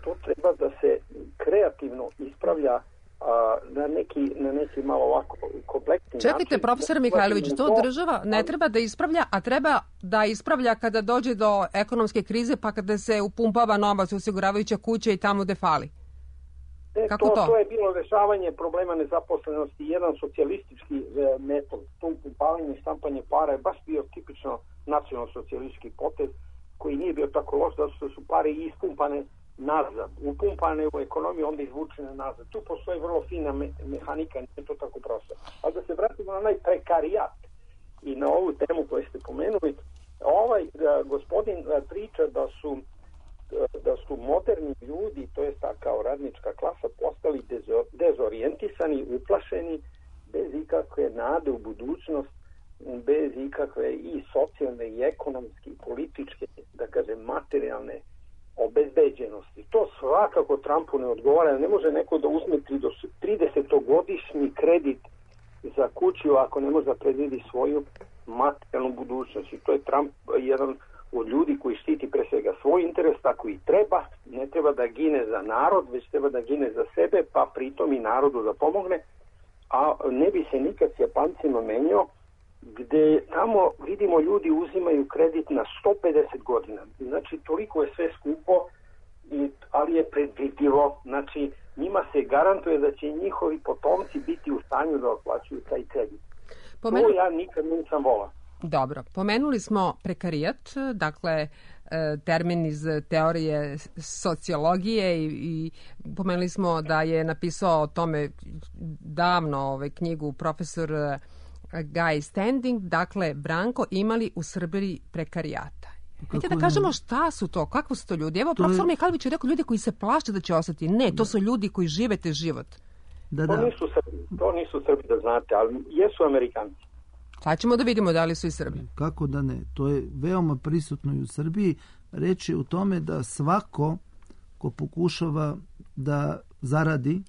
To treba da se kreativno ispravlja a, na, neki, na neki malo ovako kompleksni način. Čekajte, profesor Mihajlović, to država ne treba da ispravlja, a treba da ispravlja kada dođe do ekonomske krize, pa kada se upumpava novac u osiguravajuća kuća i tamo gde fali. E, Kako to, to? to je bilo rešavanje problema nezaposlenosti. Jedan socijalistički e, metod, to upumpavanje i štampanje para je baš bio tipično nacionalno-socijalistički potez koji nije bio tako loš, zato što su pare ispumpane nazad, upumpane u ekonomiju, onda izvučene nazad. Tu postoji vrlo fina me, mehanika, nije to tako prosto. Ali da se vratimo na onaj prekarijat i na ovu temu koju ste pomenuli, ovaj a, gospodin a, priča da su da su moderni ljudi, to je ta kao radnička klasa, postali dezo, dezorijentisani, uplašeni, bez ikakve nade u budućnost, bez ikakve i socijalne i ekonomske i političke, da kažem, materijalne obezbeđenosti. To svakako Trumpu ne odgovara. Ne može neko da uzme tridesetogodišnji kredit za kuću ako ne može da predvidi svoju materijalnu budućnost. I to je Trump jedan od ljudi koji štiti pre svega svoj interes, tako i treba. Ne treba da gine za narod, već treba da gine za sebe, pa pritom i narodu da pomogne. A ne bi se nikad s Japancima menjao, gde tamo vidimo ljudi uzimaju kredit na sto pedeset godina. Znači toliko je sve skupo, i, ali je predvidivo. Znači njima se garantuje da će njihovi potomci biti u stanju da otplaćuju taj kredit. Pomenu... To ja nikad nisam volao. Dobro, pomenuli smo prekarijat, dakle termin iz teorije sociologije i, i pomenuli smo da je napisao o tome davno ovaj, knjigu profesor Guy Standing, dakle Branko, imali u Srbiji prekarijata. Vidite da kažemo šta su to, kakvo su to ljudi. Evo, to profesor je... Mihajlović je rekao ljudi koji se plaše da će ostati. Ne, to su ljudi koji žive te život. Da, da. To nisu Srbi, to nisu Srbi da znate, ali jesu Amerikanci. Sad ćemo da vidimo da li su i Srbi. Kako da ne? To je veoma prisutno i u Srbiji. Reč je u tome da svako ko pokušava da zaradi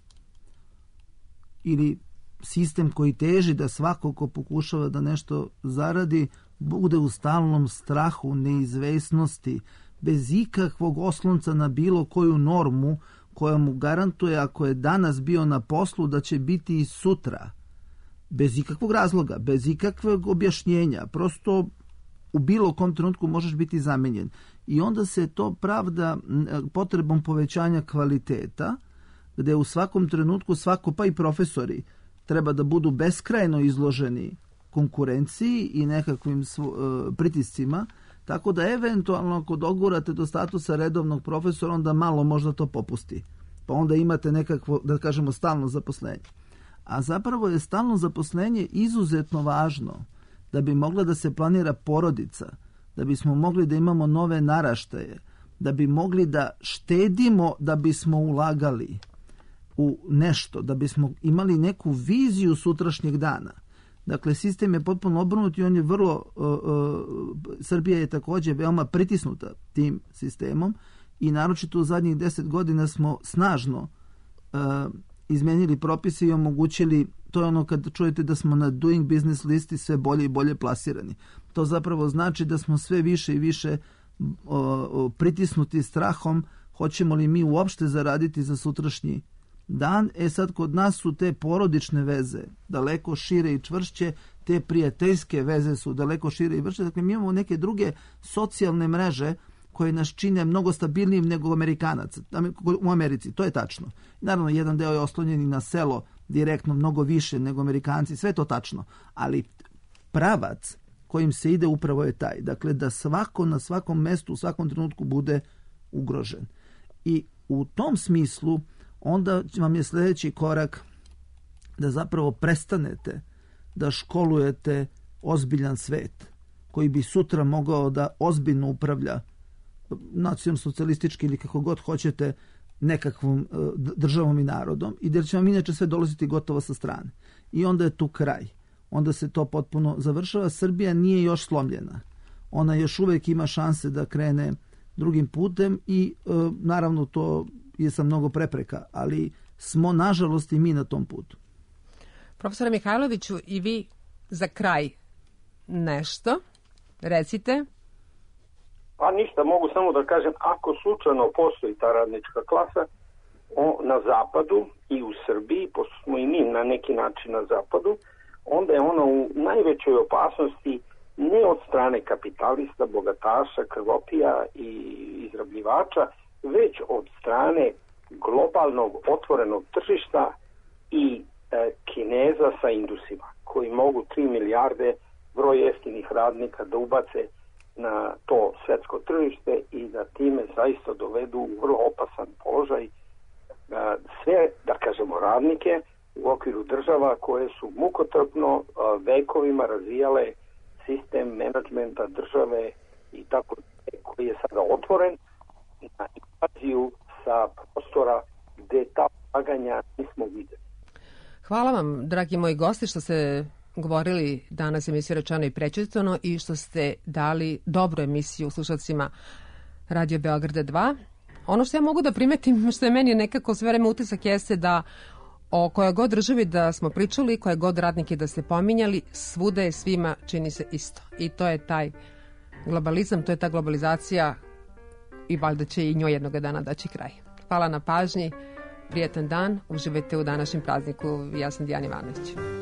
ili sistem koji teži da svako ko pokušava da nešto zaradi bude u stalnom strahu, neizvesnosti, bez ikakvog oslonca na bilo koju normu koja mu garantuje ako je danas bio na poslu da će biti i sutra. Bez ikakvog razloga, bez ikakvog objašnjenja, prosto u bilo kom trenutku možeš biti zamenjen. I onda se to pravda potrebom povećanja kvaliteta, gde u svakom trenutku svako, pa i profesori, treba da budu beskrajno izloženi konkurenciji i nekakvim svo, e, pritiscima, tako da eventualno ako dogurate do statusa redovnog profesora, onda malo možda to popusti. Pa onda imate nekakvo, da kažemo, stalno zaposlenje. A zapravo je stalno zaposlenje izuzetno važno da bi mogla da se planira porodica, da bismo mogli da imamo nove naraštaje, da bi mogli da štedimo, da bismo ulagali u nešto, da bismo imali neku viziju sutrašnjeg dana. Dakle, sistem je potpuno obrnut i on je vrlo, uh, uh, Srbija je također veoma pritisnuta tim sistemom i naročito u zadnjih deset godina smo snažno uh, izmenili propise i omogućili, to je ono kad čujete da smo na doing business listi sve bolje i bolje plasirani. To zapravo znači da smo sve više i više uh, uh, pritisnuti strahom hoćemo li mi uopšte zaraditi za sutrašnji dan. E sad, kod nas su te porodične veze daleko šire i čvršće, te prijateljske veze su daleko šire i vrše. Dakle, mi imamo neke druge socijalne mreže koje nas čine mnogo stabilnijim nego Amerikanaca u Americi. To je tačno. Naravno, jedan deo je oslonjen i na selo direktno mnogo više nego Amerikanci. Sve to tačno. Ali pravac kojim se ide upravo je taj. Dakle, da svako na svakom mestu u svakom trenutku bude ugrožen. I u tom smislu onda vam je sljedeći korak da zapravo prestanete da školujete ozbiljan svet koji bi sutra mogao da ozbiljno upravlja nacijom socijalistički ili kako god hoćete nekakvom državom i narodom i da će vam inače sve dolaziti gotovo sa strane. I onda je tu kraj. Onda se to potpuno završava. Srbija nije još slomljena. Ona još uvijek ima šanse da krene drugim putem i naravno to je sa mnogo prepreka, ali smo nažalost i mi na tom putu. Profesore Mihajloviću, i vi za kraj nešto recite. Pa ništa, mogu samo da kažem, ako slučajno postoji ta radnička klasa o, na zapadu i u Srbiji, pošto smo i mi na neki način na zapadu, onda je ona u najvećoj opasnosti ne od strane kapitalista, bogataša, krvopija i izrabljivača, već od strane globalnog otvorenog tržišta i e, Kineza sa Indusima, koji mogu tri milijarde broj jeftinih radnika da ubace na to svetsko tržište i da time zaista dovedu u vrlo opasan položaj e, sve, da kažemo, radnike u okviru država koje su mukotrpno e, vekovima razvijale sistem menadžmenta države i tako koji je sada otvoren na invaziju sa prostora gde ta ulaganja nismo videli. Hvala vam, dragi moji gosti, što ste govorili danas emisiju Rečeno i prećutano i što ste dali dobru emisiju slušalcima Radio Beograda dva. Ono što ja mogu da primetim, što je meni nekako sve vreme utisak, jeste da o kojoj god državi da smo pričali, koje god radnike da ste pominjali, svuda je svima čini se isto. I to je taj globalizam, to je ta globalizacija i valjda će i njoj jednoga dana daći kraj. Hvala na pažnji, prijetan dan, uživajte u današnjem prazniku. Ja sam Dijana Ivanović.